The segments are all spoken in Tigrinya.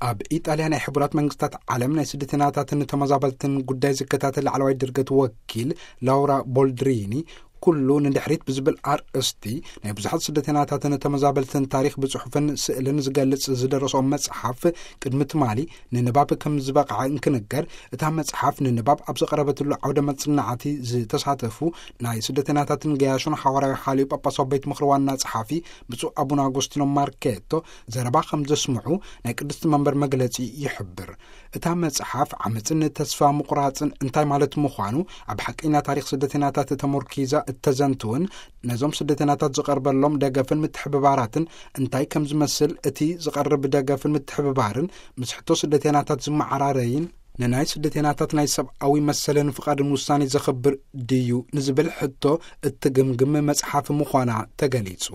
ኣብ ኢጣልያ ናይ ሕቡራት መንግስታት ዓለም ናይ ስደተኛታትን ተመዛበልትን ጉዳይ ዝከታተል ላዕለዋይ ድርገት ወኪል ላውራ ቦልድሪኒ፣ ኩሉ ንድሕሪት ብዝብል ኣርእስቲ ናይ ብዙሓት ስደተኛታትን ተመዛበልትን ታሪኽ ብጽሑፍን ስእልን ዝገልጽ ዝደረሶ መጽሓፍ ቅድሚ ትማሊ ንንባብ ከም ዝበቕዐ እንክንገር፣ እታ መጽሓፍ ንንባብ ኣብ ዝቐረበትሉ ዓውደ መጽናዕቲ ዝተሳተፉ ናይ ስደተኛታትን ገያሾን ሓዋርያዊ ሓልዮ ጳጳሳዊ ቤት ምኽሪ ዋና ጸሓፊ ብፁዕ ኣቡነ ኣጎስቲኖ ማርኬቶ ዘረባ ከም ዘስምዑ ናይ ቅድስቲ መንበር መግለጺ ይሕብር። እታ መጽሓፍ ዓመጽን ተስፋ ምቑራጽን እንታይ ማለት ምዃኑ፣ ኣብ ሓቀኛ ታሪኽ ስደተኛታት ተመርኪዛ እተዘንትውን፣ ነዞም ስደተኛታት ዝቐርበሎም ደገፍን ምትሕብባራትን እንታይ ከም ዝመስል፣ እቲ ዝቐርብ ደገፍን ምትሕብባርን ምስ ሕቶ ስደተኛታት ዝመዓራረይን ንናይ ስደተኛታት ናይ ሰብኣዊ መሰልን ፍቓድን ውሳኔ ዘኽብር ድዩ ንዝብል ሕቶ እትግምግም መጽሓፍ ምዃና ተገሊጹ።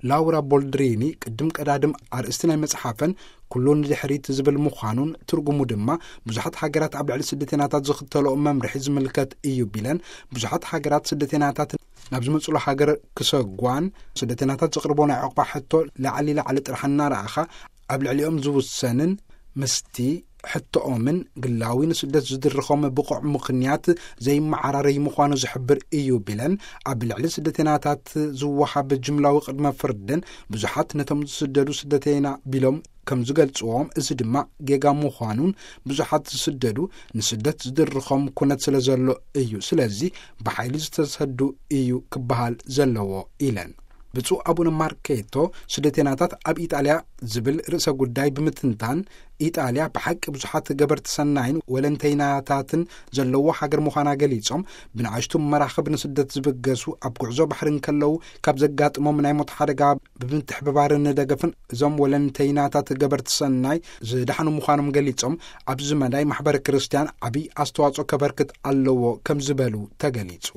ላውራ ቦልድሪኒ ቅድም ቀዳድም ኣርእስቲ ናይ መጽሓፈን ኩሉ ንድሕሪት ዝብል ምዃኑን፣ ትርጉሙ ድማ ብዙሓት ሃገራት ኣብ ልዕሊ ስደተኛታት ዝኽተልኦ መምርሒ ዝምልከት እዩ ቢለን፣ ብዙሓት ሃገራት ስደተኛታት ናብ ዝመጽሉ ሃገር ክሰጓን ስደተኛታት ዘቕርቦ ናይ ዕቑባ ሕቶ ላዕሊ ላዕሊ ጥራሕ እናረኣኻ ኣብ ልዕሊኦም ዝውሰንን ምስቲ ሕቶኦምን ግላዊ ንስደት ዝድርኾም ብቑዕ ምኽንያት ዘይመዓራረይ ምዃኑ ዝሕብር እዩ ቢለን፣ ኣብ ልዕሊ ስደተኛታት ዝወሃብ ጅምላዊ ቅድመ ፍርድን ብዙሓት ነቶም ዝስደዱ ስደተይና ቢሎም ከም ዝገልጽዎም፣ እዚ ድማ ጌጋ ምዃኑን ብዙሓት ዝስደዱ ንስደት ዝድርኾም ኩነት ስለ ዘሎ እዩ፣ ስለዚ ብሓይሊ ዝተሰዱ እዩ ክበሃል ዘለዎ ኢለን። ብፁዕ ኣቡነ ማርኬቶ ስደተኛታት ኣብ ኢጣልያ ዝብል ርእሰ ጉዳይ ብምትንታን፣ ኢጣልያ ብሓቂ ብዙሓት ገበርቲ ሰናይን ወለንተይናታትን ዘለዎ ሃገር ምዃና ገሊጾም፣ ብንኣሽቱ መራኽብ ንስደት ዝብገሱ፣ ኣብ ጉዕዞ ባሕሪ እንከለዉ ካብ ዘጋጥሞም ናይ ሞት ሓደጋ ብምትሕብባርን ደገፍን እዞም ወለንተይናታት ገበርቲ ሰናይ ዝደሓኑ ምዃኖም ገሊጾም፣ ኣብዚ መዳይ ማሕበረ ክርስትያን ዓብዪ ኣስተዋጽኦ ከበርክት ኣለዎ ከም ዝበሉ ተገሊጹ።